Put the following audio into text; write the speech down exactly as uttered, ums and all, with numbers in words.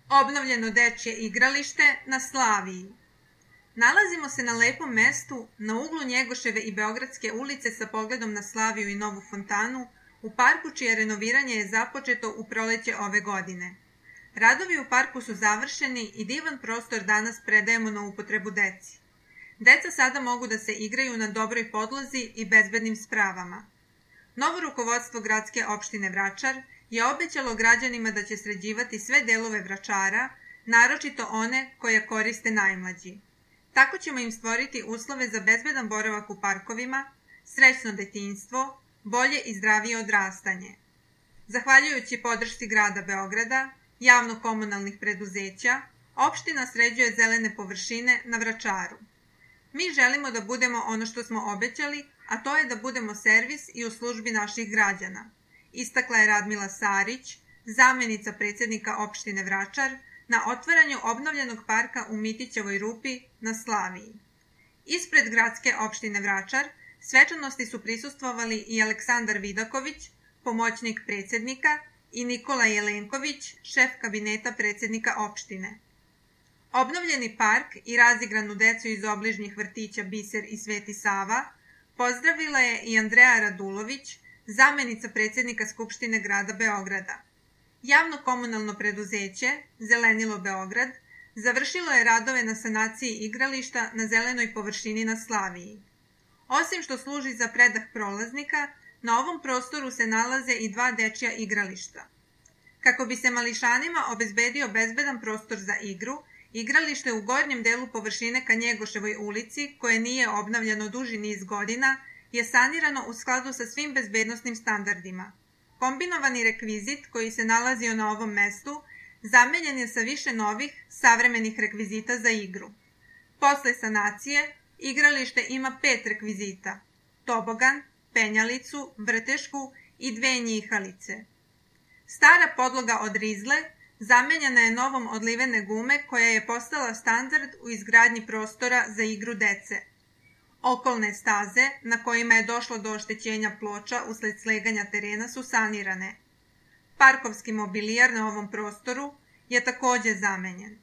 Obnovljeno dečje igralište na Slaviji. Nalazimo se na lepom mestu, na uglu Njegoševe i Beogradske ulice sa pogledom na Slaviju i Novu fontanu, u parku čije renoviranje je započeto u proleće ove godine. Radovi u parku su završeni i divan prostor danas predajemo na upotrebu deci. Deca sada mogu da se igraju na dobroj podlozi i bezbednim spravama. Novo rukovodstvo gradske opštine Vračar je obećalo građanima da će sređivati sve delove Vračara, naročito one koje koriste najmlađi. Tako ćemo im stvoriti uslove za bezbedan boravak u parkovima, srećno detinjstvo, bolje i zdravije odrastanje. Zahvaljujući podršci grada Beograda, javno-komunalnih preduzeća, opština sređuje zelene površine na Vračaru. Mi želimo da budemo ono što smo obećali, a to je da budemo servis i u službi naših građana, istakla je Radmila Sarić, zamenica predsjednika opštine Vračar, na otvaranju obnovljenog parka u Mitićevoj rupi na Slaviji. Ispred gradske opštine Vračar svečanosti su prisustvovali i Aleksandar Vidaković, pomoćnik predsjednika, i Nikola Jelenković, šef kabineta predsjednika opštine. Obnovljeni park i razigranu decu iz obližnjih vrtića Biser i Sveti Sava pozdravila je i Andreja Radulović, zamenica predsjednika Skupštine grada Beograda. Javno-komunalno preduzeće Zelenilo Beograd završilo je radove na sanaciji igrališta na zelenoj površini na Slaviji. Osim što služi za predah prolaznika, na ovom prostoru se nalaze i dva dečja igrališta. Kako bi se mališanima obezbedio bezbedan prostor za igru, igralište u gornjem delu površine ka Njegoševoj ulici, koje nije obnavljano duži niz godina, je sanirano u skladu sa svim bezbednosnim standardima. Kombinovani rekvizit koji se nalazio na ovom mestu zamenjen je sa više novih, savremenih rekvizita za igru. Posle sanacije, igralište ima pet rekvizita: tobogan, penjalicu, vrtešku i dve njihalice. Stara podloga od rizle zamenjena je novom od livene gume koja je postala standard u izgradnji prostora za igru dece. Okolne staze, na kojima je došlo do oštećenja ploča usled sleganja terena, su sanirane. Parkovski mobilijar na ovom prostoru je takođe zamenjen.